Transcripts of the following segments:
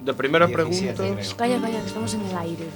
De primera pregunta. Calla, calla, que estamos en el aire.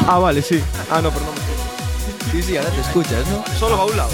Ah, vale, sí. Ah, no, pero no me Sí, sí, ahora te escuchas, ¿no? Solo va a un lado.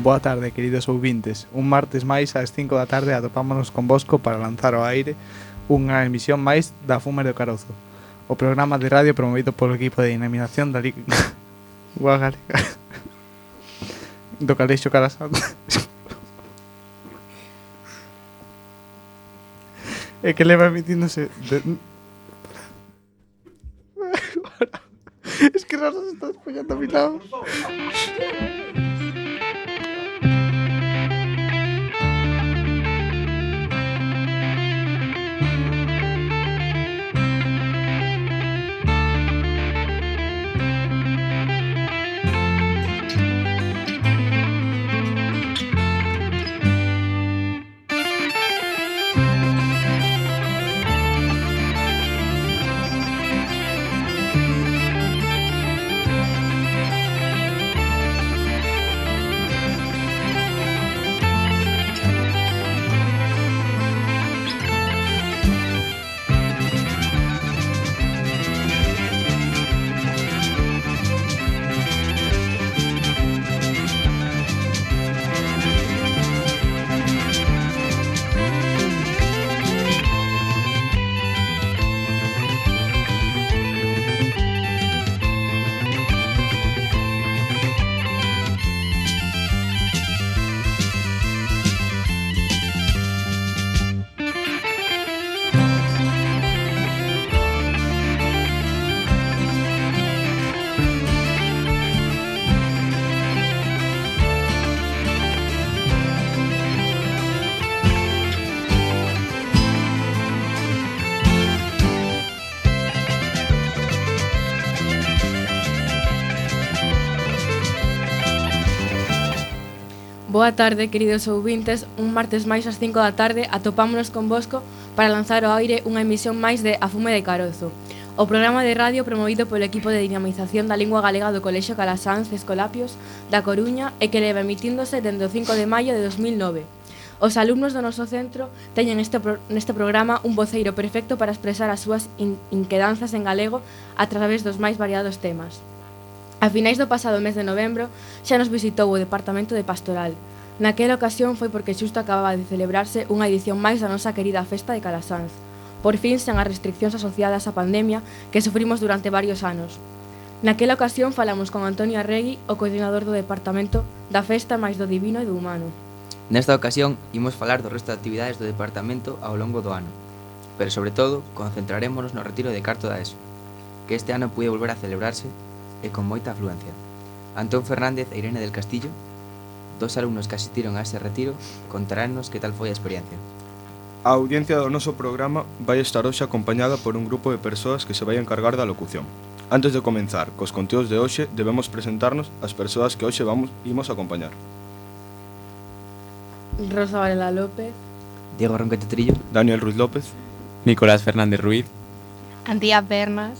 Boa tarde, queridos ouvintes. Un martes máis ás 5 da tarde atopámonos con Bosco para lanzar ao aire unha emisión máis da Fumer do Carozo, o programa de radio promovido polo equipo de dinamización da Liga Galega do Calexo Calasante e que leva emitíndose Es que Rosa se está despollando a mi lado. Boa tarde, queridos ouvintes. Un martes máis ás 5 da tarde atopámonos con Bosco para lanzar ao aire unha emisión máis de A Fume de Carozo, o programa de radio promovido polo equipo de dinamización da lingua galega do Colexio Calasanz Escolapios da Coruña e que leva emitíndose dende o 5 de maio de 2009. Os alumnos do noso centro teñen neste programa un voceiro perfecto para expresar as súas inquedanzas en galego a través dos máis variados temas. A finais do pasado mes de novembro xa nos visitou o Departamento de Pastoral. Naquela ocasión foi porque xusto acababa de celebrarse unha edición máis da nosa querida festa de Calasanz, por fin sen as restriccións asociadas á pandemia que sufrimos durante varios anos. Naquela ocasión falamos con Antonio Arregui, o coordinador do Departamento da Festa máis do Divino e do Humano. Nesta ocasión, imos falar do resto de actividades do departamento ao longo do ano, pero sobre todo, concentrarémonos no retiro de carto da ESO, que este ano puide volver a celebrarse e con moita afluencia. Antón Fernández e Irene del Castillo, dos alumnos que asistiron a ese retiro, contaránnos que tal foi a experiencia. A audiencia do noso programa vai estar hoxe acompañada por un grupo de persoas que se vai encargar da locución. Antes de comenzar cos conteúdos de hoxe, debemos presentarnos as persoas que hoxe imos acompañar. Rosa Varela López, Diego Ronquete Trillo, Daniel Ruiz López, Nicolás Fernández Ruiz, Antía Pernas,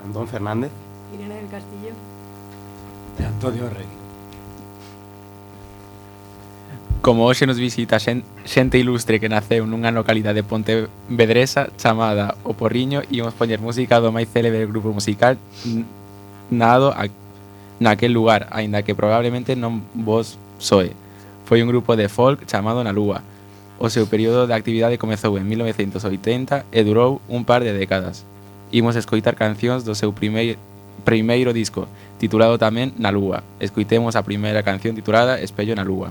Antón Fernández Irene del Castillo e Antonio Arregui. Como hoxe nos visita xente ilustre que naceu nunha localidade pontevedresa chamada O Porriño, imos poñer música do máis célebre grupo musical nado naquel lugar, aínda que probablemente non vos soe. Foi un grupo de folk chamado Na Lúa. O seu período de actividade comezou en 1980 e durou un par de décadas. Imos escoitar cancións do seu primeiro disco, titulado tamén Na Lúa. Escoitemos a primeira canción titulada Espello na Lúa.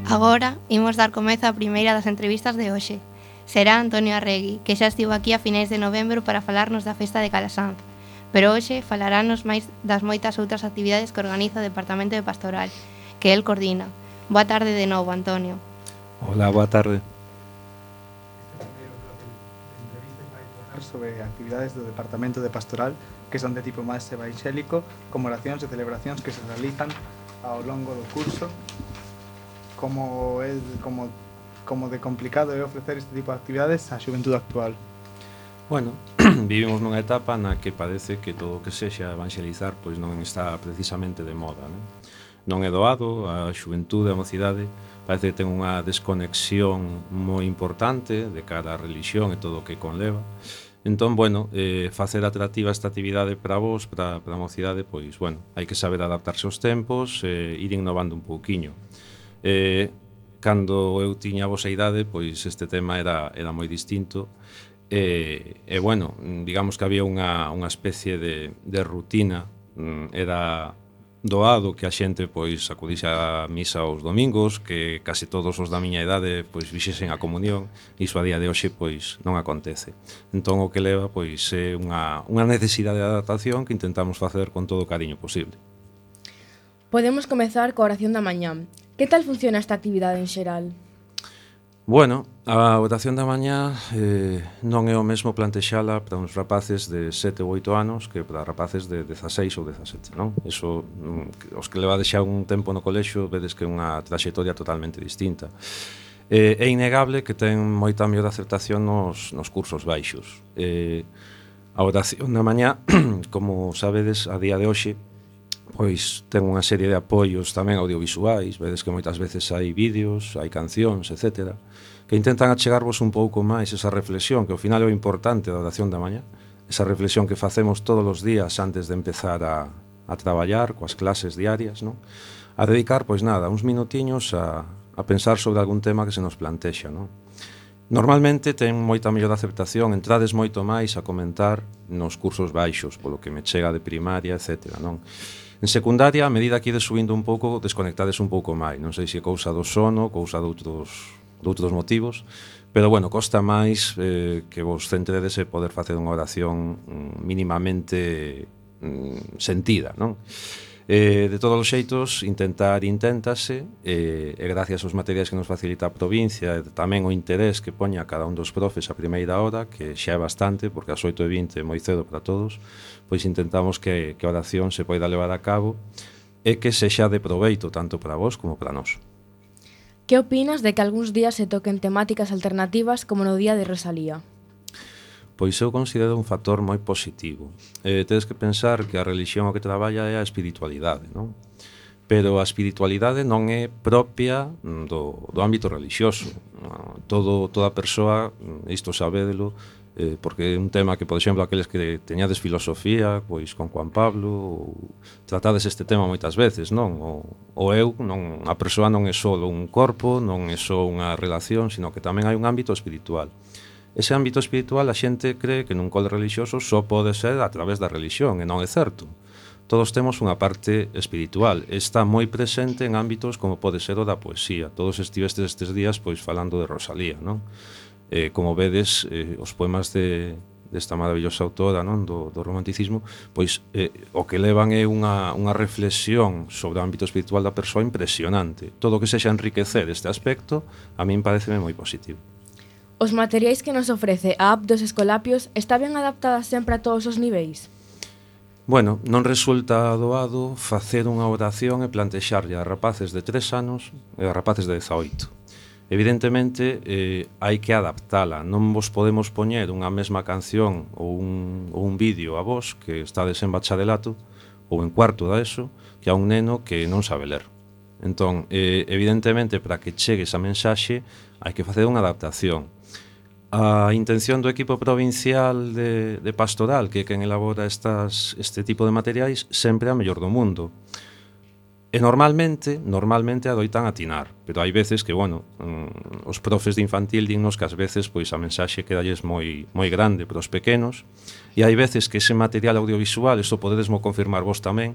Agora imos dar comezo á primeira das entrevistas de hoxe. Será Antonio Arregui, que xa estivo aquí a finais de novembro para falarnos da festa de Calasanz. Pero hoxe falarános máis das moitas outras actividades que organiza o Departamento de Pastoral, que el coordina. Boa tarde de novo, Antonio. Hola, boa tarde. Sobre actividades do Departamento de Pastoral que son de tipo máis evangélico, como oracións e celebracións que se realizan ao longo do curso. Como de complicado é ofrecer este tipo de actividades á xuventude actual? Bueno, vivimos nunha etapa na que parece que todo o que sexa evangelizar pois non está precisamente de moda, non é doado, a xuventude, a mocidade parece que ten unha desconexión moi importante de cara á religión e todo o que conleva. Entón, bueno, facer atractiva esta actividade para vos, para a mocidade, pois, bueno, hai que saber adaptarse aos tempos e ir innovando un pouquiño. Cando eu tiña a vosa idade, pois este tema era moi distinto e bueno, digamos que había unha especie de rutina, era doado que a xente pois acudise á misa os domingos, que case todos os da miña idade pois vixesen a comunión, e iso a día de hoxe pois non acontece. Entón o que leva pois é unha necesidade de adaptación que intentamos facer con todo o cariño posible. Podemos comezar coa oración da mañá. Que tal funciona esta actividade en xeral? Bueno, a oración da mañá non é o mesmo plantexala para uns rapaces de 7 ou 8 anos que para rapaces de 16 ou 17, non? Eso, os que levades xa un tempo no colexio, vedes que é unha traxectoria totalmente distinta. É innegable que ten moita mellor aceptación nos cursos baixos. A oración da mañá, como sabedes, a día de hoxe, pois ten unha serie de apoios tamén audiovisuais, vedes que moitas veces hai vídeos, hai cancións, etc., que intentan achegarvos un pouco máis esa reflexión, que ao final é o importante da oración da mañá, esa reflexión que facemos todos os días antes de empezar a traballar coas clases diarias, non? A dedicar, pois nada, uns minutiños a pensar sobre algún tema que se nos plantexa, non? Normalmente ten moita mellor aceptación, entrades moito máis a comentar nos cursos baixos, polo que me chega de primaria, etc., non? En secundaria, a medida que ides subindo un pouco, desconectades un pouco máis. Non sei se é cousa do sono, cousa de outros motivos, pero, bueno, costa máis que vos centredes e poder facer unha oración mínimamente sentida, non? De todos os xeitos, inténtase, e gracias aos materiais que nos facilita a provincia, e tamén o interés que poña cada un dos profes a primeira hora, que xa é bastante, porque ás 8:20 é moi cedo para todos, pois intentamos que a oración se poida levar a cabo e que sexa de proveito tanto para vos como para nós. Que opinas de que algúns días se toquen temáticas alternativas como no Día de Rosalía? Pois eu considero un factor moi positivo. Tedes que pensar que a religión o que traballa é a espiritualidade, non? Pero a espiritualidade non é propia do ámbito religioso. Toda persoa, isto sabédelo, porque é un tema que, por exemplo, aqueles que teñades filosofía, pois con Juan Pablo, tratades este tema moitas veces, non? O eu, non, a persoa non é só un corpo, non é só unha relación, sino que tamén hai un ámbito espiritual. Ese ámbito espiritual a xente cree que nun cole religioso só pode ser a través da religión, e non é certo. Todos temos unha parte espiritual, está moi presente en ámbitos como pode ser o da poesía. Todos estivestes estes días pois falando de Rosalía, non? Como vedes, os poemas desta maravillosa autora, non, do romanticismo, pois o que levan é unha reflexión sobre o ámbito espiritual da persoa impresionante. Todo o que sexa enriquecer este aspecto, a min pareceme moi positivo. Os materiais que nos ofrece a app dos Escolapios está ben adaptada sempre a todos os niveis? Bueno, non resulta doado facer unha oración e plantexarlle a rapaces de 3 anos e a rapaces de 18. Evidentemente, hai que adaptala. Non vos podemos poñer unha mesma canción ou un vídeo a vos que estades en bacharelato ou en cuarto da ESO que a un neno que non sabe ler. Entón, evidentemente, para que chegue esa mensaxe hai que facer unha adaptación. A intención do equipo provincial de pastoral, que é quen elabora este tipo de materiais, sempre é a mellor do mundo. E normalmente adoitan atinar, pero hai veces que, bueno, os profes de infantil dignos que ás veces pois a mensaxe quedalles moi grande para os pequenos, e hai veces que ese material audiovisual, isto podedesmo confirmar vos tamén,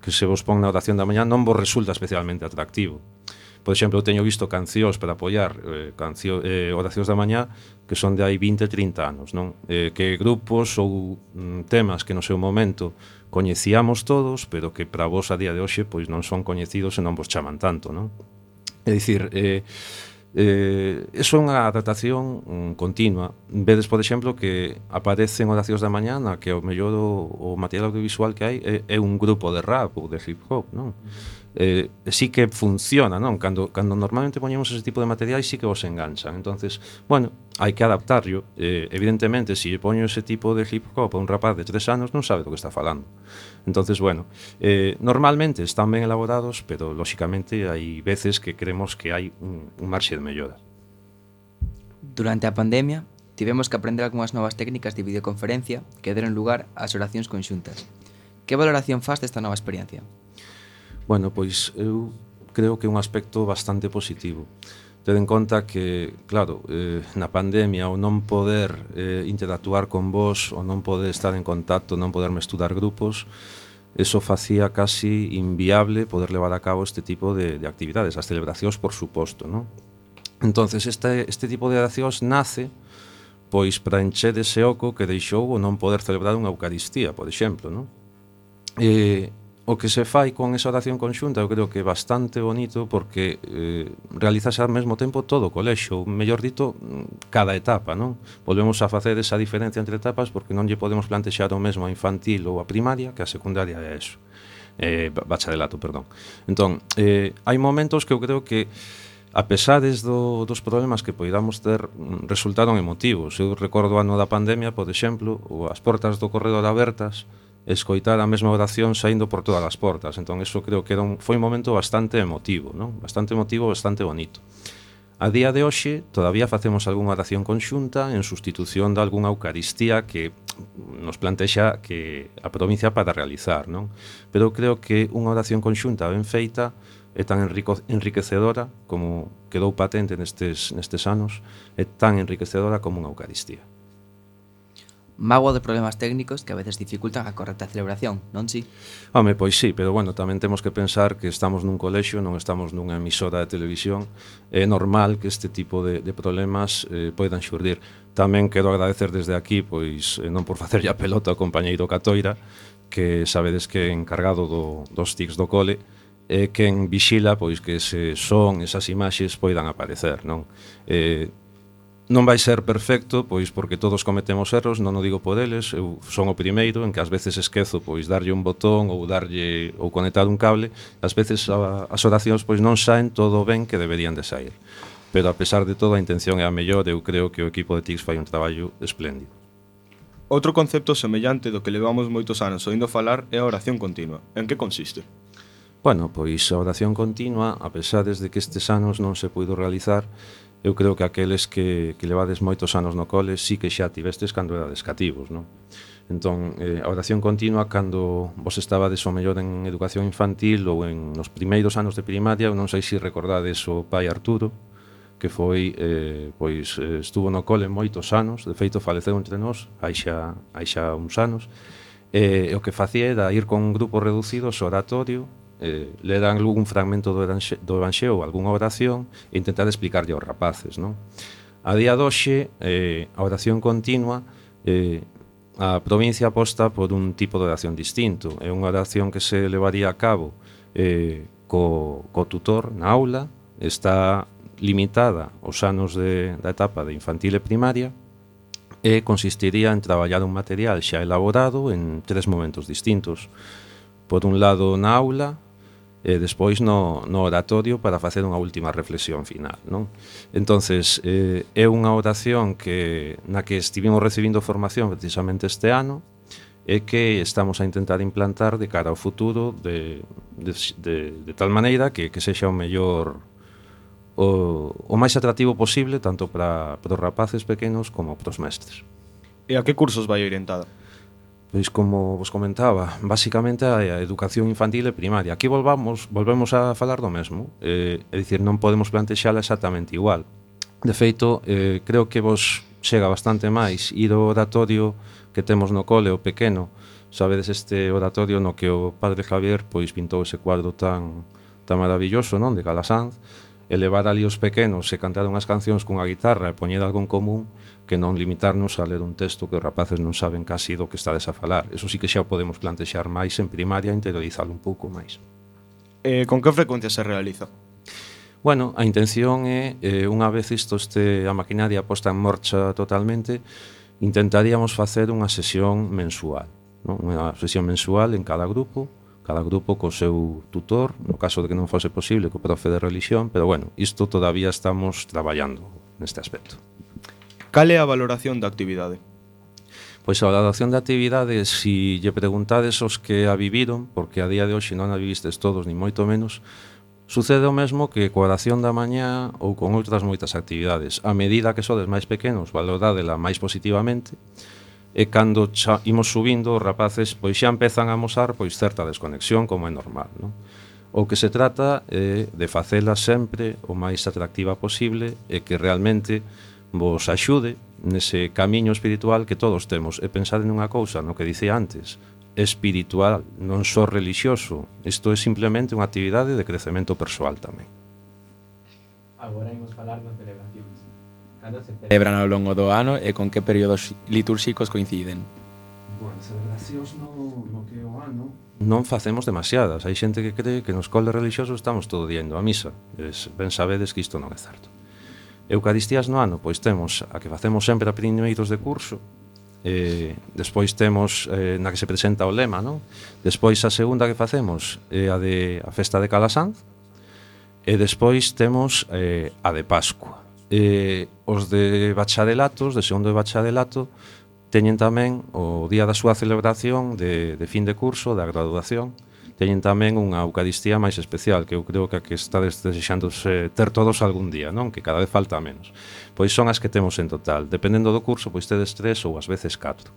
que se vos pon na oración da mañá non vos resulta especialmente atractivo. Por exemplo, eu teño visto cancións para apoiar oracións da mañá que son de hai 20, 30 anos, non? Que grupos ou temas que no seu momento coñecíamos todos, pero que para vos a día de hoxe pois non son coñecidos e non vos chaman tanto, non? É dicir, iso é unha adaptación continua. Vedes, por exemplo, que aparecen oracións da mañá na que o mellor o material audiovisual que hai é un grupo de rap ou de hip hop, non? Sí que funciona, non? Cando normalmente poñemos ese tipo de materiais sí que vos enganchan. Entonces, bueno, hai que adaptarlo. Evidentemente, se poño ese tipo de hip hop a un rapaz de 3 anos non sabe do que está falando. Entonces, bueno, normalmente están ben elaborados, pero lóxicamente hai veces que creemos que hai un marxe de mellora. Durante a pandemia, tivemos que aprender algunhas novas técnicas de videoconferencia que deron lugar ás oracións conxuntas. Que valoración faz desta nova experiencia? Bueno, pois eu creo que é un aspecto bastante positivo. Ten en conta que, claro, na pandemia o non poder interactuar con vos, o non poder estar en contacto, non poder estudar grupos, eso facía casi inviable poder levar a cabo este tipo de actividades, as celebracións, por suposto, non? Entonces, este tipo de accións nace pois para encher ese oco que deixou o non poder celebrar unha Eucaristía, por exemplo, non? O que se fai con esa oración conxunta eu creo que é bastante bonito porque realizase ao mesmo tempo todo o colexio, mellor dito, cada etapa, non? Volvemos a facer esa diferencia entre etapas porque non lle podemos plantexar o mesmo a infantil ou a primaria que a secundaria é eso. Bacharelato, perdón. Entón, hai momentos que eu creo que a pesares dos problemas que poidamos ter, resultaron emotivos. Eu recordo o ano da pandemia, por exemplo, as portas do corredor abertas, escoitar a mesma oración saindo por todas as portas. Entón, eso creo que foi un momento bastante emotivo, non? Bastante emotivo, bastante bonito. A día de hoxe, todavía facemos algunha oración conxunta en sustitución de algunha Eucaristía que nos plantexa que a provincia para realizar, non? Pero creo que unha oración conxunta ben feita é tan enriquecedora como quedou patente nestes anos, é tan enriquecedora como unha Eucaristía. Mágoa de problemas técnicos que a veces dificultan a correcta celebración, non si? Home, pois sí, pero bueno, tamén temos que pensar que estamos nun colexio, non estamos nunha emisora de televisión. É normal que este tipo de problemas poidan xurdir. Tamén quero agradecer desde aquí, pois non por facerlle a pelota ao compañeiro Catoira, que sabedes que é encargado dos tics do cole, é quen vixila pois que ese son, esas imaxes poidan aparecer, non? Non vai ser perfecto, pois porque todos cometemos erros, non o digo por eles, eu son o primeiro en que ás veces esquezo pois darlle un botón ou conectar un cable, ás veces as oracións pois non saen todo ben que deberían de sair. Pero a pesar de todo a intención é a mellor, eu creo que o equipo de TICS fai un traballo espléndido. Outro concepto semellante do que levamos moitos anos oindo falar é a oración continua. En que consiste? Bueno, pois a oración continua, a pesar de que estes anos non se puido realizar, eu creo que aqueles que levades moitos anos no cole sí que xa tivestes cando erades cativos, non? Entón, a oración continua, cando vos estabades o mellor en educación infantil ou en nos primeiros anos de primaria, eu non sei se recordades o pai Arturo, que foi, estuvo no cole moitos anos, de feito faleceu entre nós, hai xa uns anos, e o que facía era ir con un grupo reducido ao oratorio, ler algún fragmento do Evanxeo ou algunha oración e intentar explicarlle aos rapaces, non? A día de hoxe, a oración continua, a provincia aposta por un tipo de oración distinto. É unha oración que se levaría a cabo co tutor na aula, está limitada aos anos da etapa de infantil e primaria e consistiría en traballar un material xa elaborado en 3 momentos distintos. Por un lado na aula, e despois no oratorio para facer unha última reflexión final, non? Entonces, é unha oración na que estivemos recibindo formación precisamente este ano e que estamos a intentar implantar de cara ao futuro de tal maneira que sexa o mellor o máis atractivo posible tanto para os rapaces pequenos como para os mestres. E a que cursos vai orientada? Pois como vos comentaba, basicamente a educación infantil e primaria. Aquí volvemos a falar do mesmo, é dicir, non podemos plantexala exactamente igual. De feito, creo que vos chega bastante máis ir ao oratorio que temos no cole, o pequeno. Sabedes este oratorio no que o padre Javier pois pintou ese cuadro tan maravilloso, non, de Calasanz. levar ali os pequenos e cantar unhas cancións cunha guitarra e poñer algo en común que non limitarnos a ler un texto que os rapaces non saben casi do que estades a falar. Eso sí que xa o podemos plantexar máis en primaria, interiorizalo un pouco máis. Con que frecuencia se realiza? Bueno, a intención é, unha vez isto a maquinaria posta en marcha totalmente, intentaríamos facer unha sesión mensual, non? Unha sesión mensual en cada grupo co seu tutor, no caso de que non fose posible, co profe de religión, pero bueno, isto todavía estamos traballando neste aspecto. Cal é a valoración da actividade? Pois a valoración da actividade, se lle preguntades os que a viviron, porque a día de hoxe non a vivistes todos, ni moito menos, sucede o mesmo que coa oración da mañá ou con outras moitas actividades. A medida que sodes máis pequenos, valorádela máis positivamente, e cando imos subindo, os rapaces pois xa empezan a amosar pois certa desconexión, como é normal, non? O que se trata é de facela sempre o máis atractiva posible e que realmente vos axude nese camiño espiritual que todos temos. E pensade nunha cousa, no que dicía antes, espiritual, non só relixioso. Isto é simplemente unha actividade de crecemento persoal tamén. Agora imos falar das celebracións. Cando se celebran ao longo do ano e con que períodos litúrxicos coinciden? Bueno, celebracións no que é o ano non facemos demasiadas. Hai xente que cree que nos coles relixiosos estamos todo diendo a misa. Ben sabedes que isto non é certo. Eucaristías no ano, pois temos a que facemos sempre a primeiros de curso, despois temos na que se presenta o lema, non? Despois a segunda que facemos é a festa de Calasanz, e despois temos a de Pascua. Os de bacharelatos, de segundo de bacharelato, teñen tamén o día da súa celebración de fin de curso, da graduación, teñen tamén unha Eucaristía máis especial, que eu creo que a que estades desexándose ter todos algún día, non? Que cada vez falta menos. Pois son as que temos en total. Dependendo do curso, pois tedes 3 ou ás veces 4.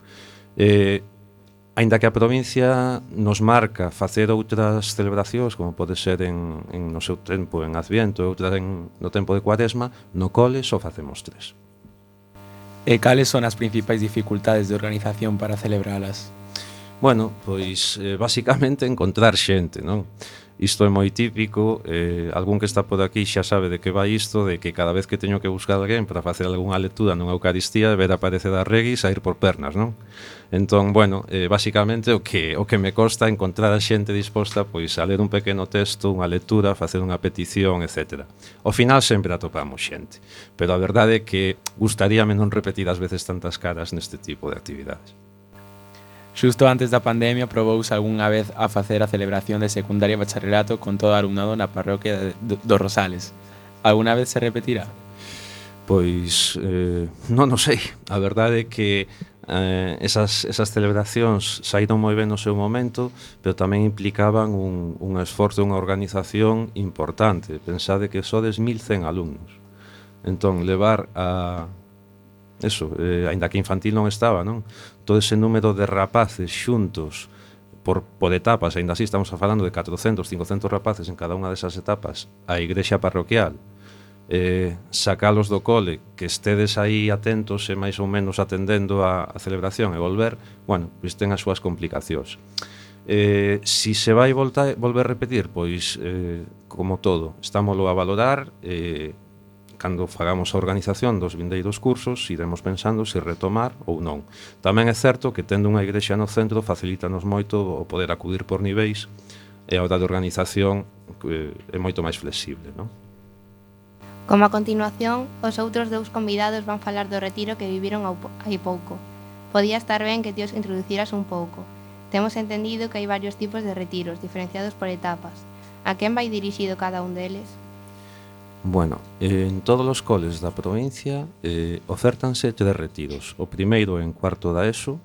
Aínda que a provincia nos marca facer outras celebracións, como pode ser no seu tempo en Adviento e outras no tempo de Cuaresma, no cole só facemos 3. E cales son as principais dificultades de organización para celebralas? Bueno, pois basicamente encontrar xente, non? Isto é moi típico, algún que está por aquí xa sabe de que vai isto, de que cada vez que teño que buscar alguén para facer algunha lectura nunha Eucaristía, ver aparecer a Regui e sair por pernas, non? Entón, bueno, basicamente o que me costa encontrar a xente disposta pois a ler un pequeno texto, unha lectura, facer unha petición, etc. Ao final sempre atopamos xente, pero a verdade é que gustaríame non repetir as veces tantas caras neste tipo de actividades. Xusto antes da pandemia probouse algunha vez a facer a celebración de secundaria e bacharelato con todo o alumnado na parroquia dos Rosales. Alguna vez se repetirá? Pois non o sei. A verdade é que esas celebracións saíron moi ben no seu momento, pero tamén implicaban un esforzo e unha organización importante. Pensade que sodes 1100 alumnos. Entón, levar a... Eso, aínda que infantil non estaba, non? Todo ese número de rapaces xuntos por etapas, aínda así estamos falando de 400, 500 rapaces en cada unha desas etapas, a igrexa parroquial, sacalos do cole, que estedes aí atentos e máis ou menos atendendo a celebración e volver, bueno, pois ten as súas complicacións. Si se vai volver a repetir, pois, como todo, estámoslo a valorar, cando fagamos a organización dos vindeiros cursos, iremos pensando se retomar ou non. Tamén é certo que tendo unha igrexa no centro facilítanos moito o poder acudir por niveis e a hora de organización é moito máis flexible, non? Como a continuación, os outros dous convidados van falar do retiro que viviron hai pouco. Podía estar ben que ti os introduciras un pouco. Temos entendido que hai varios tipos de retiros, diferenciados por etapas. A quen vai dirixido cada un deles? Bueno, en todos os coles da provincia ofertanse 3 retiros. O primeiro en cuarto da ESO,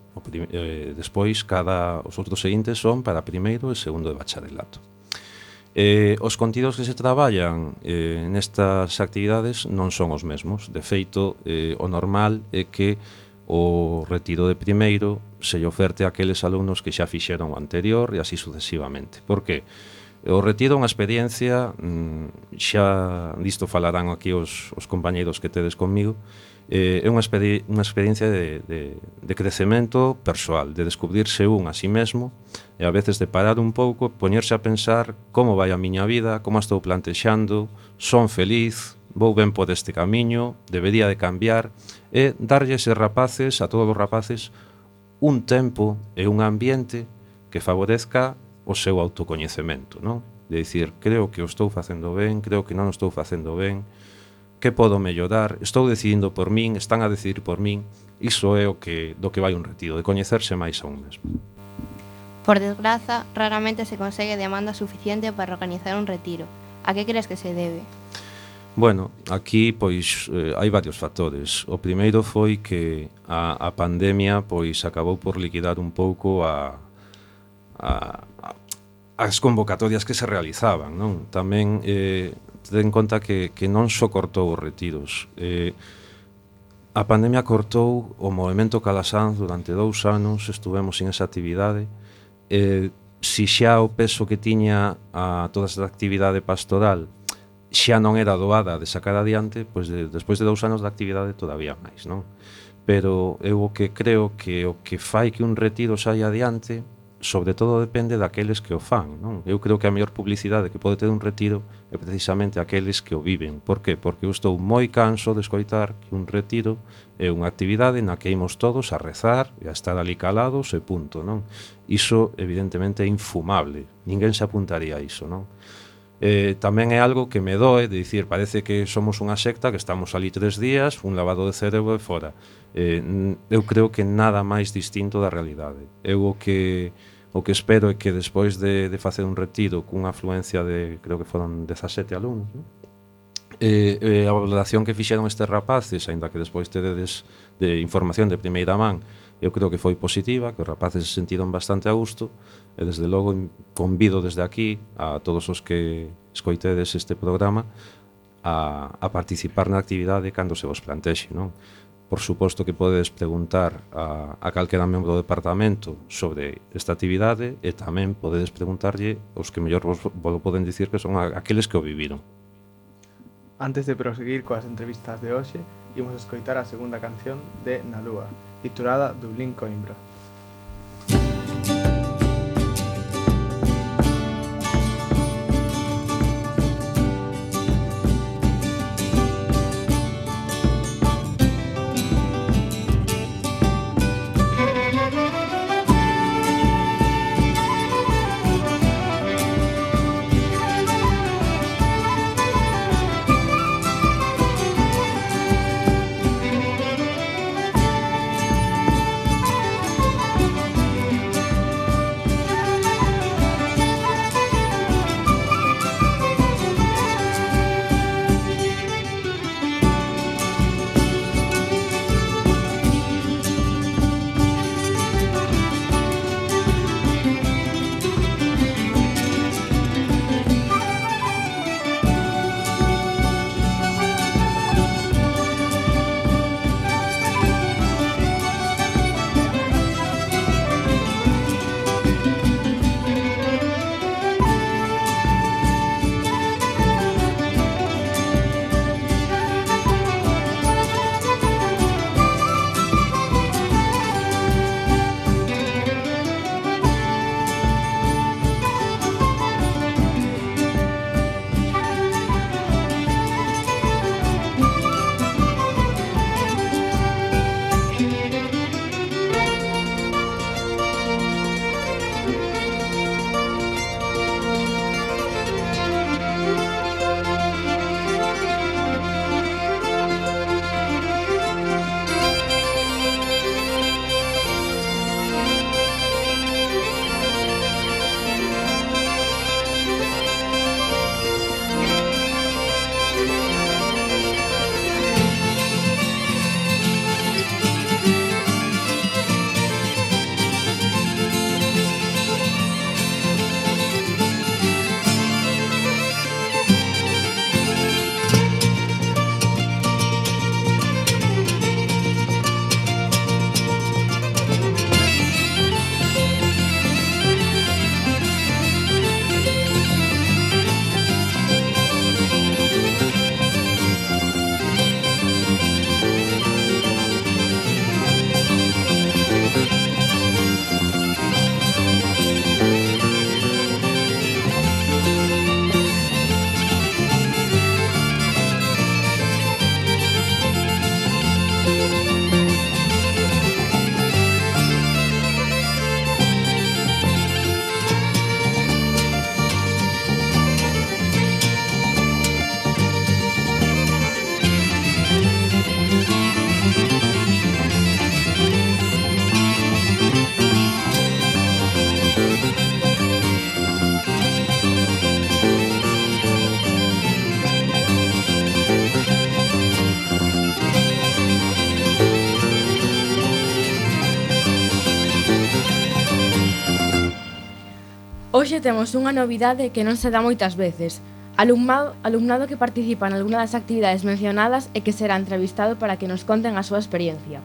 despois os outros seguintes son para primeiro e segundo de bacharelato. Os contidos que se traballan nestas actividades non son os mesmos. De feito, o normal é que o retiro de primeiro se lle oferte a aqueles alumnos que xa fixeron o anterior e así sucesivamente. Por que? O retiro é unha experiencia, xa disto falarán aquí os compañeiros que tedes comigo, é unha experiencia de crecemento persoal, de descubrirse un a sí mesmo e a veces de parar un pouco, poñerse a pensar como vai a miña vida, como a estou plantexando, son feliz, vou ben por este camiño, debería de cambiar, e darlle a rapaces, a todos os rapaces, un tempo e un ambiente que favorezca o seu autocoñecemento, non? De dicir, creo que o estou facendo ben, creo que non o estou facendo ben, que podo mellorar, estou decidindo por min, están a decidir por min, iso é do que vai un retiro, de coñecerse máis a un mesmo. Por desgraza, raramente se consegue demanda suficiente para organizar un retiro. A que crees que se debe? Bueno, aquí pois hai varios factores. O primeiro foi que a pandemia pois acabou por liquidar un pouco as convocatorias que se realizaban, non? Tamén ten en conta que non só cortou os retiros. A pandemia cortou o movemento Calasanz durante 2 anos, estuvemos sin esa actividade. Si xa o peso que tiña a toda esa actividade pastoral xa non era doada de sacar adiante, pois despois de 2 anos de actividade todavía máis, non? Pero eu o que creo que o que fai que un retiro saia adiante, sobre todo depende daqueles que o fan, non? Eu creo que a mellor publicidade que pode ter un retiro é precisamente aqueles que o viven. Por que? Porque eu estou moi canso de escoitar que un retiro é unha actividade na que imos todos a rezar e a estar ali calados e punto, non? Iso evidentemente é infumable, ninguén se apuntaría a iso, non? Tamén é algo que me doe de dicir, parece que somos unha secta que estamos ali 3 días, un lavado de cerebro e fora. Eu creo que nada máis distinto da realidade. Eu o que espero é que despois de facer un retiro cunha afluencia de, creo que foron 17 alumnos, non? A valoración que fixeron estes rapaces, aínda que despois tedes de información de primeira man, eu creo que foi positiva, que os rapaces se sentiron bastante a gusto, e desde logo convido desde aquí a todos os que escoitedes este programa a participar na actividade cando se vos plantexe, non? Por suposto que podedes preguntar a calquera membro do departamento sobre esta actividade e tamén podedes preguntarlle os que mellor vos poden dicir que son aqueles que o viviron. Antes de proseguir coas entrevistas de hoxe, imos escoitar a segunda canción de Na Lúa, titulada Dublín Coimbra. Hoxe temos unha novidade que non se dá moitas veces. Alumnado que participa en algunha das actividades mencionadas e que será entrevistado para que nos conten a súa experiencia.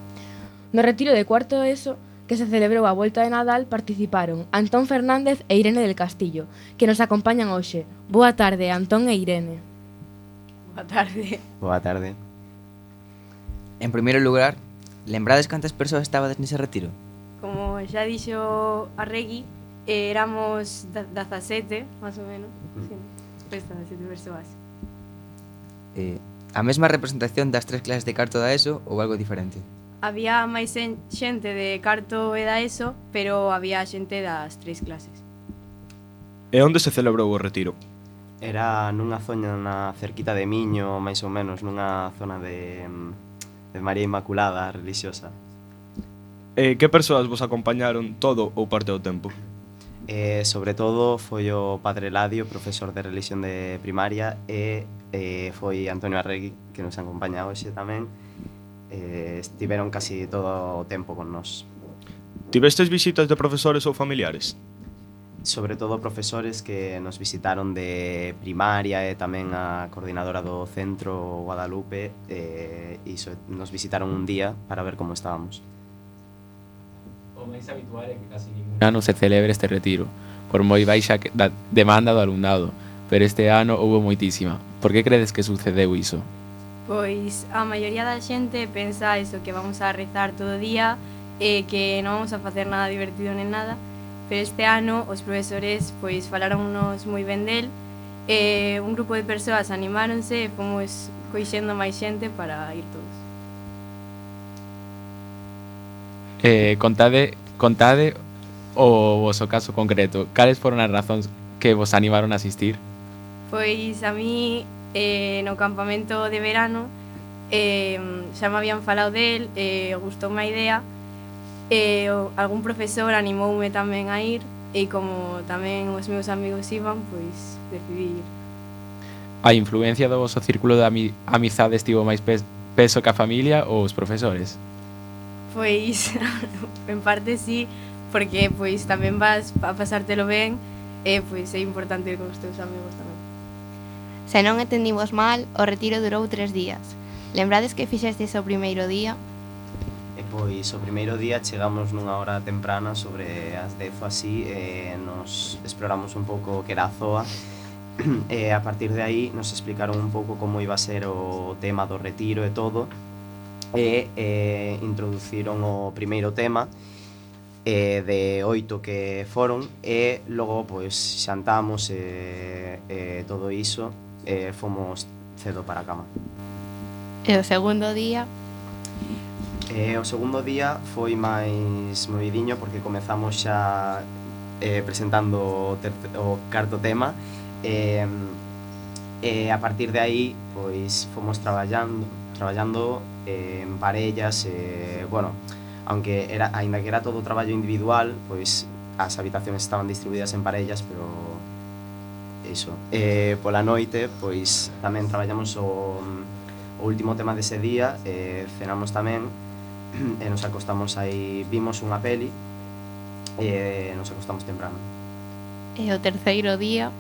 No retiro de cuarto ESO, que se celebrou a volta de Nadal, participaron Antón Fernández e Irene del Castillo, que nos acompañan hoxe. Boa tarde, Antón e Irene. Boa tarde. Boa tarde. En primeiro lugar, lembrades cantas persoas estabades nese retiro? Como xa dixo a Regui, éramos 17, máis ou menos. Sí, 17 persoas. A mesma representación das 3 clases de carto da ESO ou algo diferente? Había máis xente de carto e da ESO, pero había xente das 3 clases. E onde se celebrou o retiro? Era nunha zona na cerquita de Miño, máis ou menos, nunha zona de María Inmaculada, religiosa. E que persoas vos acompañaron todo ou parte do tempo? Sobre todo foi o Padre Ladio, profesor de religión de primaria, e foi Antonio Arregui, que nos acompaña hoxe tamén. Estiveron casi todo o tempo con nós. Tivestes visitas de profesores ou familiares? Sobre todo profesores que nos visitaron de primaria e tamén a coordinadora do centro Guadalupe, e nos visitaron un día para ver como estábamos. O máis habitual é que casi ningún ano se celebre este retiro, por moi baixa demanda do alumnado, pero este ano houve moitísima. Por que credes que sucedeu iso? Pois a maioría da xente pensa eso, que vamos a rezar todo o día e que non vamos a facer nada divertido nen nada, pero este ano os profesores pois falaronnos moi ben del, e un grupo de persoas animáronse e fomos coixendo máis xente para ir todos. Contade o voso caso concreto. Cales foron as razóns que vos animaron a asistir? Pois a mí no campamento de verano xa me habían falado del, gustoume a idea, algún profesor animoume tamén a ir, e como tamén os meus amigos iban, pois decidí ir. A influencia do voso círculo de amizade estivo máis peso que a familia ou os profesores? Pois, en parte sí, porque pois tamén vas a pasártelo ben e pois é importante ir con os teus amigos tamén. Se non entendimos mal, o retiro durou 3 días. Lembrades que fixestes o primeiro día? E pois o primeiro día chegamos nunha hora temprana, sobre as 10 ou así, e nos exploramos un pouco o que era a ZOA, e a partir de aí nos explicaron un pouco como iba a ser o tema do retiro e todo, e introduciron o primeiro tema de 8 que foron, e logo pois xantamos e todo iso, e fomos cedo para a cama. E o segundo día? O segundo día foi máis movidiño, porque comezamos xa presentando o cuarto tema, e a partir de aí pois fomos traballando en parellas, bueno, aínda que era todo traballo individual, pois as habitacións estaban distribuídas en parellas, pero iso. Pola noite, pois tamén traballamos o último tema dese día, cenamos tamén, e nos acostamos aí, vimos unha peli, e nos acostamos temprano. E o terceiro día?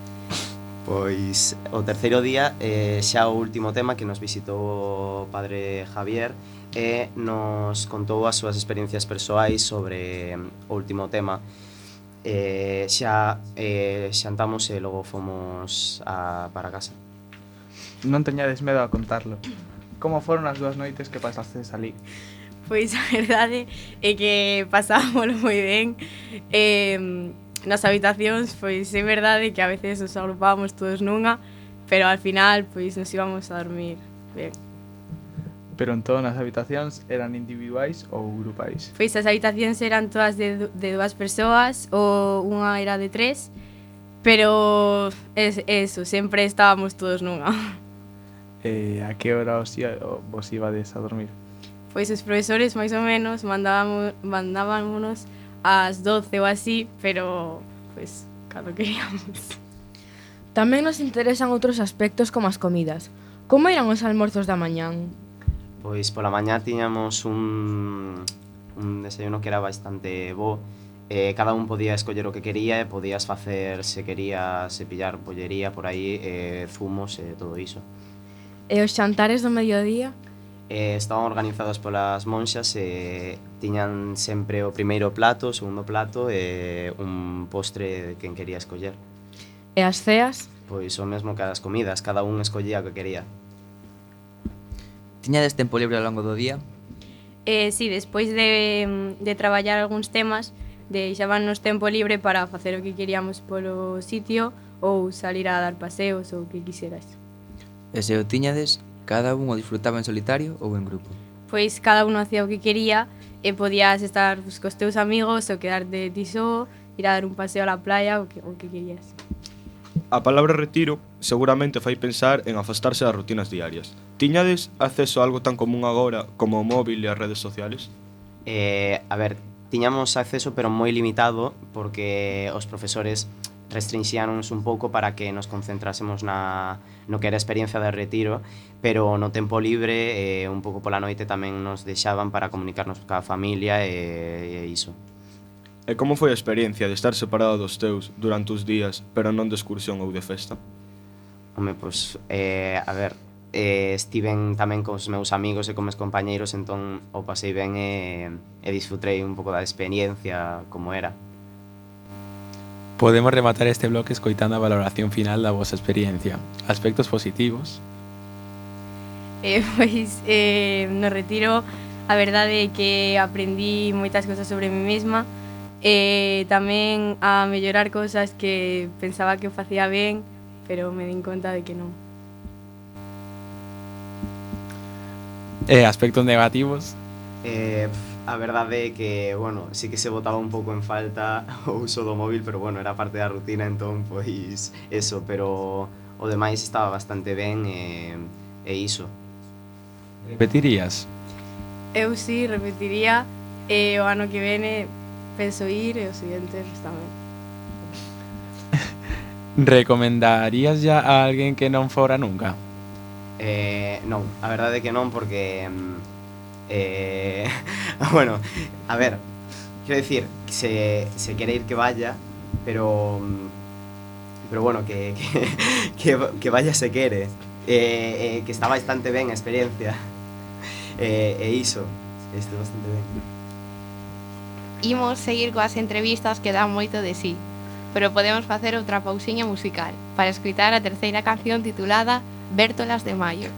Pois o terceiro día, xa o último tema, que nos visitou o padre Javier e nos contou as súas experiencias persoais sobre o último tema. Xa xantamos e logo fomos para casa. Non teñades medo a contarlo. Como foron as 2 noites que pasastes ali? Pois a verdade é que pasámoslo moi ben. Nas habitacións, pois é verdade que a veces nos agrupábamos todos nunha, pero al final, pois nos íbamos a dormir ben. Pero entón as habitacións eran individuais ou grupais? Pois as habitacións eran todas de 2 persoas, ou unha era de 3, pero eso, sempre estábamos todos nunha. A que hora vos ibades a dormir? Pois os profesores, máis ou menos, mandábamos ás 12 ou así, pero pois cando queríamos. Tamén nos interesan outros aspectos como as comidas. Como eran os almorzos da mañán? Pois pola mañá tiñamos un desayuno que era bastante bo, cada un podía escoller o que quería e podías facer, se querías pillar bollería por aí, zumos e todo iso. E os xantares do mediodía? Estaban organizados polas monxas e tiñan sempre o primeiro plato, o segundo plato e un postre de quen quería escoller. E as ceas? Pois o mesmo que as comidas, cada un escollía o que quería. Tiñades tempo libre ao longo do día? Sí, despois de traballar algúns temas, deixábanos tempo libre para facer o que queríamos polo sitio ou salir a dar paseos ou o que quixeras. E se o tiñades, cada un o disfrutaba en solitario ou en grupo? Pois cada uno hacía o que quería e podías estar cos teus amigos ou quedarte ti só, ir a dar un paseo a la playa o que querías. A palabra retiro seguramente fai pensar en afastarse das rutinas diarias. Tiñades acceso a algo tan común agora como o móvil e as redes sociales? A ver, tiñamos acceso pero moi limitado porque os profesores restrinxíanos un pouco para que nos concentrásemos no que era a experiencia de retiro, pero no tempo libre un pouco pola noite tamén nos deixaban para comunicarnos ca familia e iso. E como foi a experiencia de estar separado dos teus durante os días, pero non de excursión ou de festa? Home, pois, a ver, estiven tamén cos meus amigos e con meus compañeiros, entón o pasei ben e disfrutei un pouco da experiencia como era. Podemos rematar este bloque escoitando a valoración final da vosa experiencia. Aspectos positivos? Pois, no retiro, a verdade é que aprendí moitas cosas sobre mí mesma, tamén a mellorar cousas que pensaba que o facía ben, pero me din conta de que non. Aspectos negativos? A verdade é que, bueno, sí que se botaba un pouco en falta o uso do móvil, pero bueno, era parte da rutina, entón, pois, eso, pero o demais estaba bastante ben e iso. Repetirías? Eu sí, repetiría, o ano que vene penso ir e os seguintes tamén. Recomendarías ya a alguén que non fora nunca? Non, a verdade é que non, porque bueno, a ver, quero dicir, se quere ir que vaya, pero bueno, que vaya se quere, que está bastante ben a experiencia, e iso, estou bastante ben. Imos seguir coas entrevistas que dan moito de sí, pero podemos facer outra pausiña musical para escoitar a terceira canción titulada Vértolas de Maio.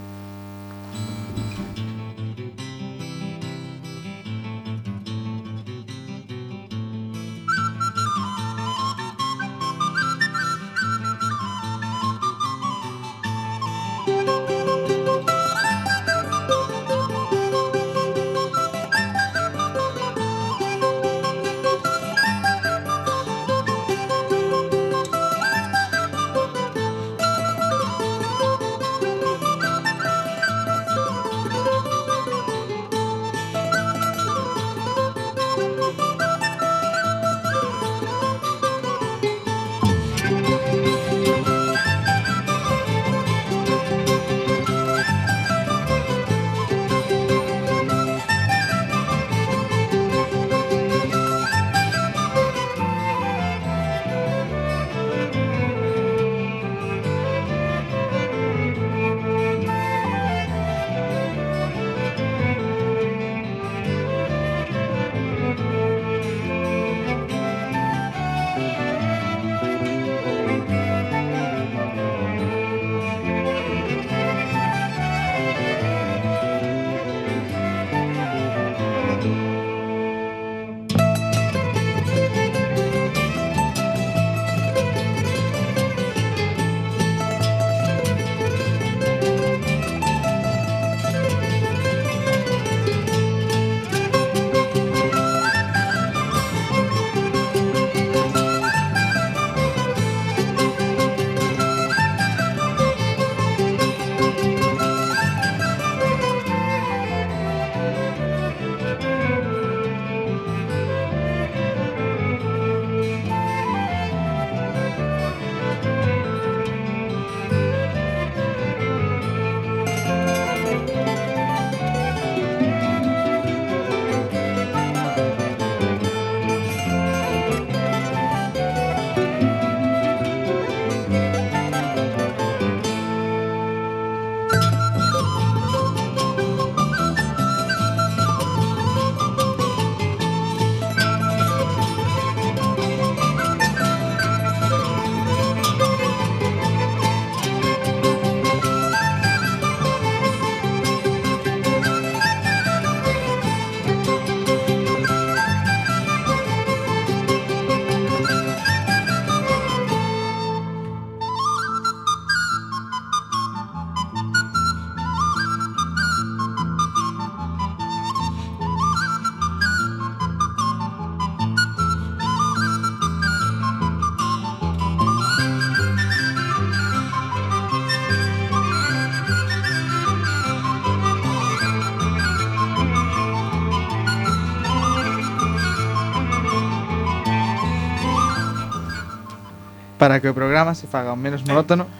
Para que o programa se faga menos monótono,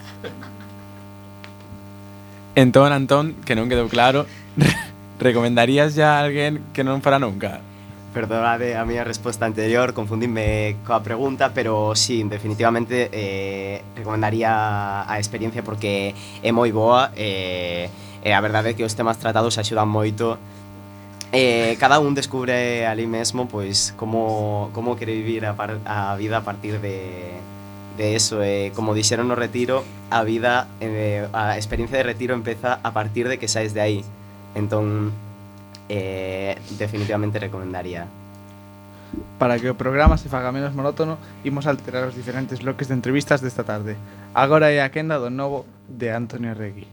Entón, Antón, que non quedou claro, recomendarías ya a alguén que non fora nunca? Perdonade a miña resposta anterior, confundíme coa pregunta, pero sí, definitivamente recomendaría a experiencia porque é moi boa e a verdade é que os temas tratados axudan moito. Cada un descubre ali mesmo pois como quere vivir a vida a partir de eso, como dixeron no retiro, a vida, a experiencia de retiro empeza a partir de que saes de aí. Entón, definitivamente recomendaría. para que o programa se faga menos monótono, imos alterar os diferentes bloques de entrevistas desta tarde. Agora é a quenda do novo de Antonio Regui.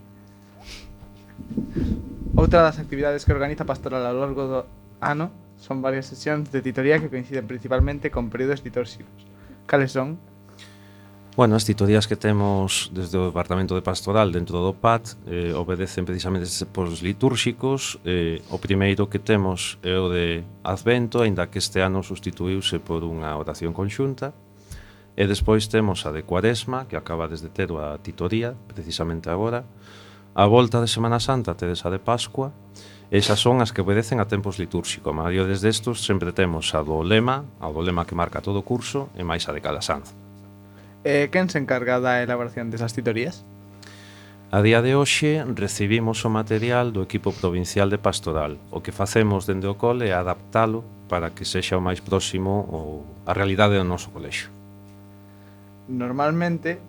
Outra das actividades que organiza Pastoral ao longo do ano son varias sesións de titoría que coinciden principalmente con períodos litúrxicos. Cales son? Bueno, as titorías que temos desde o Departamento de Pastoral dentro do PAT obedecen precisamente por litúrxicos. O primeiro que temos é o de Advento, aínda que este ano sustituíuse por unha oración conxunta. E despois temos a de Cuaresma, que acaba desde ter a titoría, precisamente agora. A volta de Semana Santa tedes a de Pascua. Esas son as que obedecen a tempos litúrxicos. A maioría destes sempre temos a do lema que marca todo o curso, e máis a de Calasanz. Quen se encarga da elaboración desas titorías? A día de hoxe recibimos o material do equipo provincial de pastoral. O que facemos dende o cole é adaptalo para que sexa o máis próximo a realidade do noso colexio. Normalmente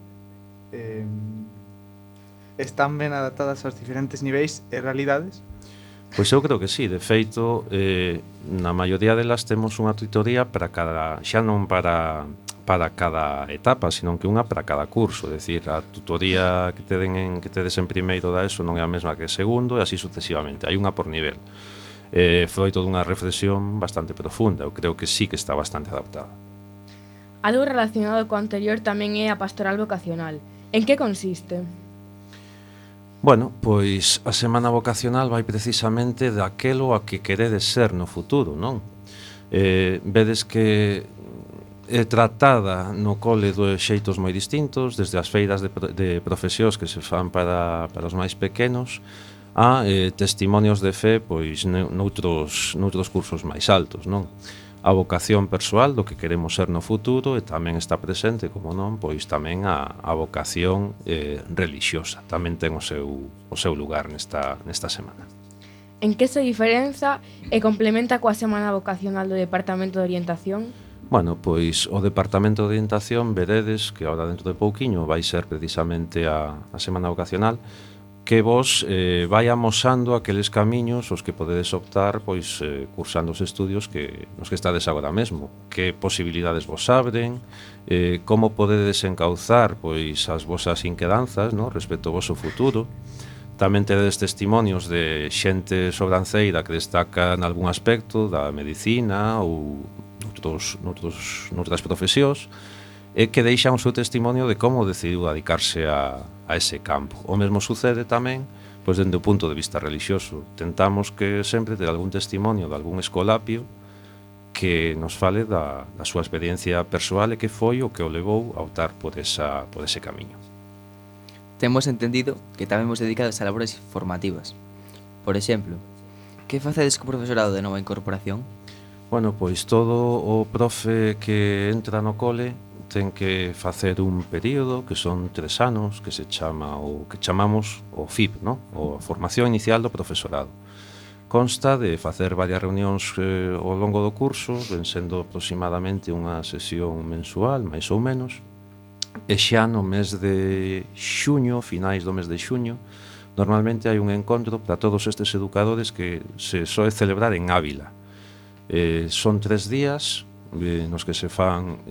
están ben adaptadas aos diferentes niveis e realidades? Pois eu creo que sí, de feito, na maioría delas temos unha tutoría para cada, xa non para cada etapa, sino que unha para cada curso, é dicir, a tutoría que tedes en primeiro da ESO non é a mesma que segundo e así sucesivamente, hai unha por nivel. Foi toda unha reflexión bastante profunda, eu creo que sí que está bastante adaptada. Algo relacionado co anterior tamén é a pastoral vocacional. En que consiste? Bueno, pois a semana vocacional vai precisamente daquelo a que queredes ser no futuro, non? Vedes que é tratada no cole de xeitos moi distintos, desde as feiras de profesións que se fan para os máis pequenos a testimonios de fe pois noutros cursos máis altos, non? A vocación persoal do que queremos ser no futuro e tamén está presente, como non, pois tamén a vocación relixiosa. Tamén ten o seu lugar nesta semana. En que se diferenza e complementa coa semana vocacional do Departamento de Orientación? Bueno, pois o Departamento de Orientación veredes que agora dentro de pouquiño vai ser precisamente a semana vocacional que vos vai amosando aqueles camiños os que podedes optar pois cursando os estudios nos que estades agora mesmo, que posibilidades vos abren, como podedes encauzar pois as vosas inquedanzas, no, respecto ao voso futuro. Tamén tedes testimonios de xente sobranceira que destaca en algún aspecto da medicina ou noutras profesións e que deixan o seu testimonio de como decidiu dedicarse a ese campo. O mesmo sucede tamén pois dende o punto de vista relixioso. Tentamos que sempre ter algún testimonio de algún escolapio que nos fale da súa experiencia persoal e que foi o que o levou a optar por ese camiño. Temos entendido que tamén vos dedicados a labores formativas. Por exemplo, que facedes co profesorado de nova incorporación? Bueno, pois todo o profe que entra no cole ten que facer un período que son 3 anos que se chama o que chamamos o FIP, no? O Formación Inicial do Profesorado. Consta de facer varias reunións ao longo do curso, ven sendo aproximadamente unha sesión mensual, máis ou menos, e xa no mes de xuño, finais do mes de xuño, normalmente hai un encontro para todos estes educadores que se soe celebrar en Ávila. Son 3 días nos que se fan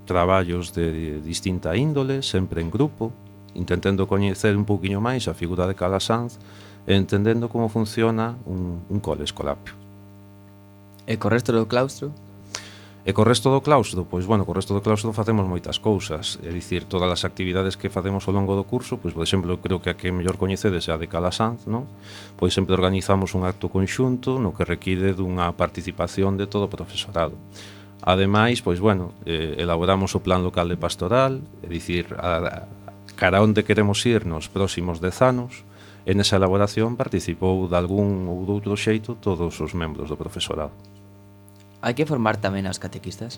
traballos de distinta índole, sempre en grupo, intentando coñecer un pouquiño máis a figura de Calasanz e entendendo como funciona un cole escolapio. E co resto do claustro? E co resto do claustro, pois bueno, co resto do claustro facemos moitas cousas, é dicir, todas as actividades que facemos ao longo do curso, pois por exemplo, creo que a que mellor coñecedes é a de Calasanz, non? Pois sempre organizamos un acto conxunto no que require dunha participación de todo o profesorado. Ademais, pois, bueno, elaboramos o plan local de pastoral, é dicir, cara onde queremos ir nos próximos 10 anos, e nesa elaboración participou de algún ou de outro xeito todos os membros do profesorado. Hai que formar tamén aos catequistas?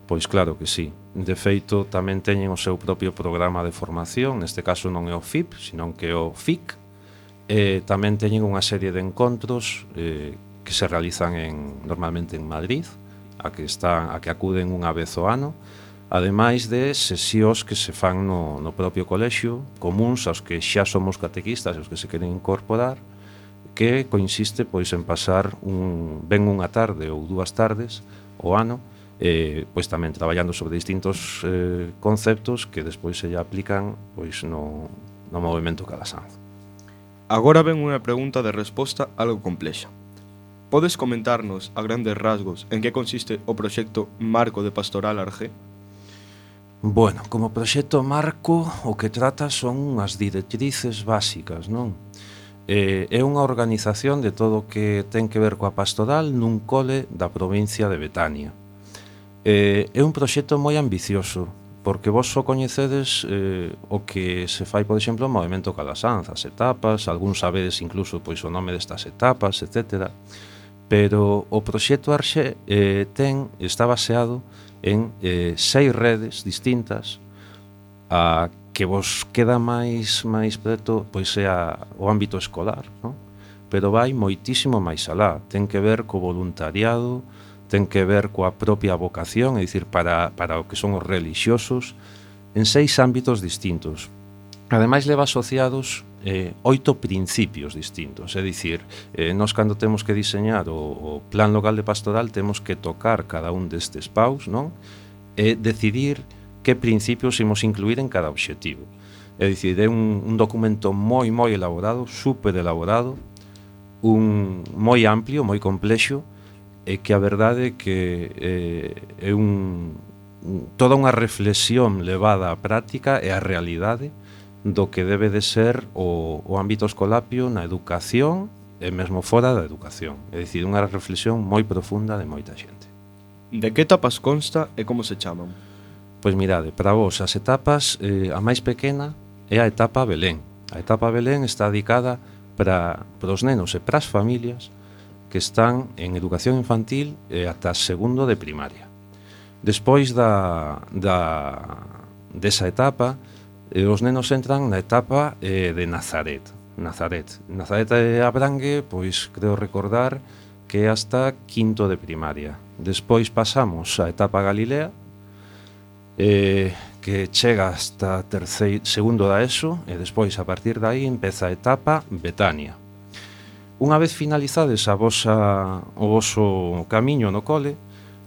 Pois claro que sí. De feito, tamén teñen o seu propio programa de formación, neste caso non é o FIP, senón que é o FIC, e tamén teñen unha serie de encontros que se realizan normalmente en Madrid, a que acuden unha vez ao ano, ademais de sesións que se fan no propio colexio, comuns aos que xa somos catequistas e aos que se queren incorporar, que consiste pois en pasar ben unha tarde ou 2 tardes ao ano, pois tamén traballando sobre distintos conceptos que despois se lle aplican pois no movemento Calasanz. Agora ven unha pregunta de resposta algo complexa. Podes comentarnos a grandes rasgos en que consiste o proxecto Marco de Pastoral Argé? Bueno, como proxecto Marco o que trata son unhas directrices básicas, non? É unha organización de todo o que ten que ver coa pastoral nun cole da provincia de Betania. É un proxecto moi ambicioso, porque vos só coñecedes o que se fai, por exemplo, o movemento Calasanz, as etapas, algúns sabedes incluso pois o nome destas etapas, etc. Pero o proxecto Arxé está baseado en 6 redes distintas. A que vos queda máis preto pois é o ámbito escolar, non? Pero vai moitísimo máis alá. Ten que ver co voluntariado, ten que ver coa propia vocación, é dicir, para o que son os relixiosos, en 6 ámbitos distintos. Ademais, leva asociados 8 principios distintos, é dicir, nós cando temos que diseñar o plan local de pastoral temos que tocar cada un destes paus, non? E decidir que principios imos incluir en cada obxectivo. É dicir, é un documento moi elaborado, super elaborado, moi amplio, moi complexo, e que a verdade é que é toda unha reflexión levada á práctica e á realidade do que debe de ser o ámbito escolapio na educación e mesmo fora da educación. É dicir, unha reflexión moi profunda de moita xente. De que etapas consta e como se chaman? Pois mirade, para vos as etapas, a máis pequena é a etapa Belén. A etapa Belén está dedicada para os nenos e para as familias que están en educación infantil ata segundo de primaria. Despois desa etapa, os nenos entran na etapa de Nazaret. Nazaret abrangue, pois creo recordar que é hasta quinto de primaria. Despois pasamos á etapa Galilea, que chega hasta segundo da ESO, e despois a partir de aí empeza a etapa Betania. Unha vez finalizades o voso camiño no cole,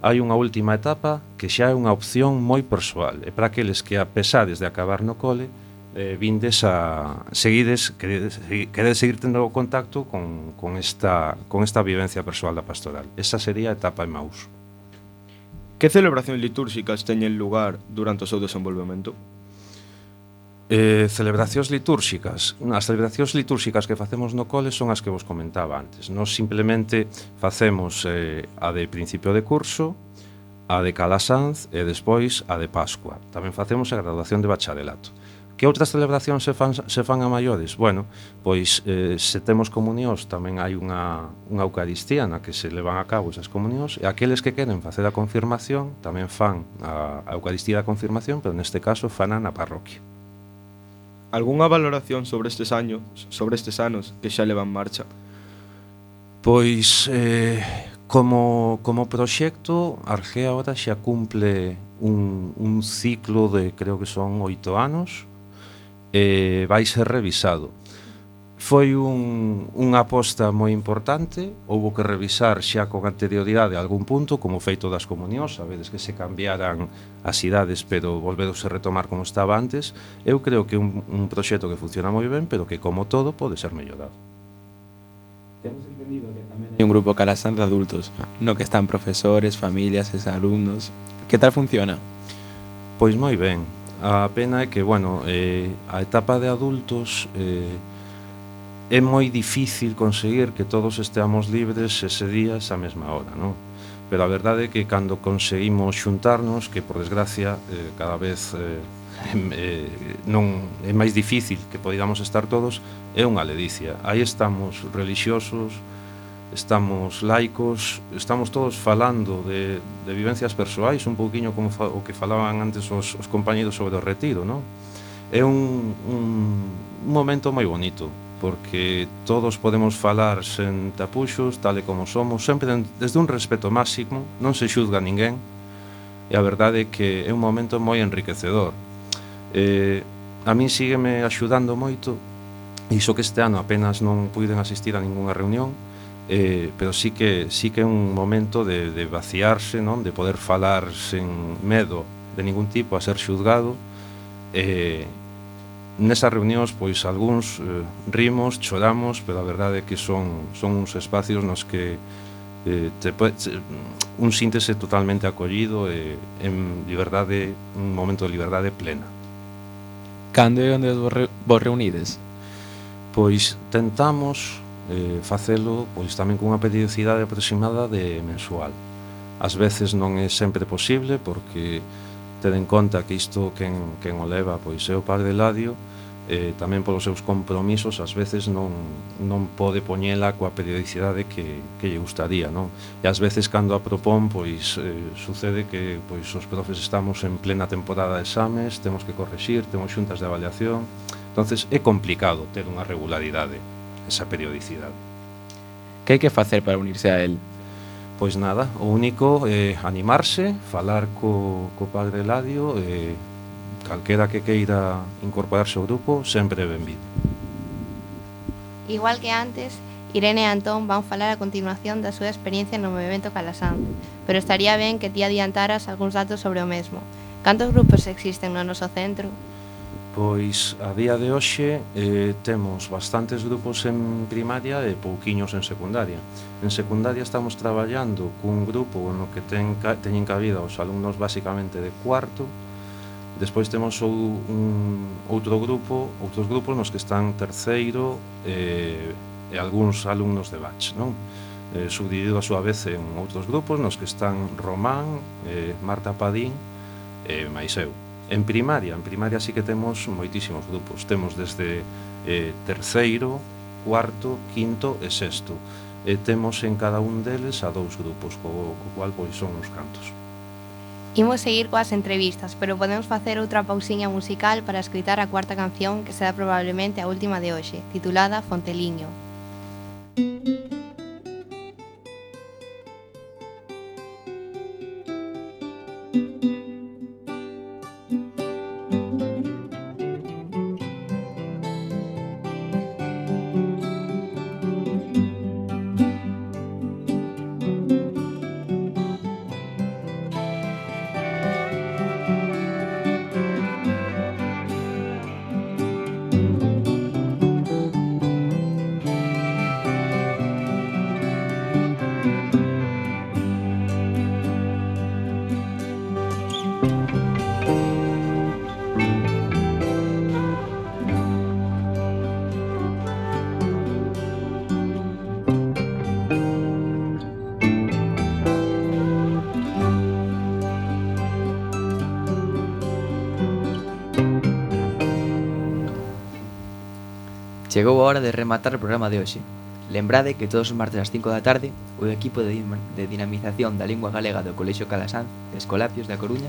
hai unha última etapa que xa é unha opción moi persoal, e para aqueles que, a pesades de acabar no cole, queredes seguir tendo contacto con esta vivencia persoal da pastoral. Esa sería a etapa Emaús. Que celebracións litúrxicas teñen lugar durante o seu desenvolvemento? Celebracións litúrxicas. As celebracións litúrxicas que facemos no cole son as que vos comentaba antes. Nos simplemente facemos a de principio de curso, a de Calasanz e despois a de Pascua. Tamén facemos a graduación de bacharelato. Que outras celebracións se fan a maiores? Bueno, pois se temos comunións tamén hai unha Eucaristía na que se levan a cabo esas comunións, e aqueles que queren facer a confirmación tamén fan a Eucaristía da confirmación, pero neste caso fana na parroquia. Algúnha valoración sobre estes anos que xa levan marcha? Pois, como proxecto, Argé agora xa cumple un ciclo de, creo que son 8 anos, vai ser revisado. Foi unha aposta moi importante, houbo que revisar xa con anterioridade a algún punto, como feito das comunións, sabedes que se cambiaran as idades, pero volveuse retomar como estaba antes. Eu creo que é un proxecto que funciona moi ben, pero que, como todo, pode ser mellorado. Temos entendido que tamén hai un grupo Calasanz de adultos, no que están profesores, familias e alumnos. Que tal funciona? Pois moi ben. A pena é que, bueno, a etapa de adultos é moi difícil conseguir que todos esteamos libres ese día, esa mesma hora, non? pero a verdade é que cando conseguimos xuntarnos, que por desgracia cada vez non é máis difícil que podamos estar todos, é unha ledicia. Aí estamos relixiosos, estamos laicos, estamos todos falando de vivencias persoais, un pouquiño como o que falaban antes os compañeros sobre o retiro, non? É un momento moi bonito, porque todos podemos falar sen tapuxos, tal e como somos, sempre desde un respeto máximo, non se xuzga ninguén, e a verdade é que é un momento moi enriquecedor. A min sígueme axudando moito, iso que este ano apenas non puiden asistir a ningunha reunión, pero sí que é un momento de vaciarse, non? De poder falar sen medo de ningún tipo a ser xuzgado. Nesas reunións, pois, algúns rimos, choramos, pero a verdade é que son uns espacios nos que un síntese totalmente acollido e en liberdade, un momento de liberdade plena. Cando e onde vos reunides? Pois tentamos facelo pois tamén cunha periodicidade aproximada de mensual. Ás veces non é sempre posible porque ten en conta que isto quen o leva pois é o Padre Eladio, tamén polos seus compromisos ás veces non pode poñela coa periodicidade que lle gustaría, non? E ás veces cando a propón pois sucede que pois os profes estamos en plena temporada de exames, temos que correxir, temos xuntas de avaliación, entonces é complicado ter unha regularidade, esa periodicidade. Que hai que facer para unirse a él? Pois nada, o único é animarse, falar co Padre Eladio, calquera que queira incorporarse ao grupo, sempre é benvido. Igual que antes, Irene e Antón van falar a continuación da súa experiencia no movimento Calasanz, pero estaría ben que ti adiantaras algúns datos sobre o mesmo. Cantos grupos existen no noso centro? Pois a día de hoxe temos bastantes grupos en primaria e pouquiños en secundaria. En secundaria estamos traballando cun grupo no que teñen cabida os alumnos basicamente de cuarto. Despois temos outros grupos nos que están terceiro e algúns alumnos de batch, non? Subdividido a súa vez en outros grupos nos que están Román, Marta Padín e máis eu. En primaria sí que temos moitísimos grupos. Temos desde terceiro, cuarto, quinto e sexto. E temos en cada un deles a 2 grupos, co cual pois son uns cantos. Imos seguir coas entrevistas, pero podemos facer outra pausiña musical para escritar a cuarta canción que será probablemente a última de hoxe, titulada Fonteliño. Chegou a hora de rematar o programa de hoxe. Lembrade que todos os martes ás 5 da tarde o equipo de dinamización da lingua galega do Colexio Calasanz de Escolapios da Coruña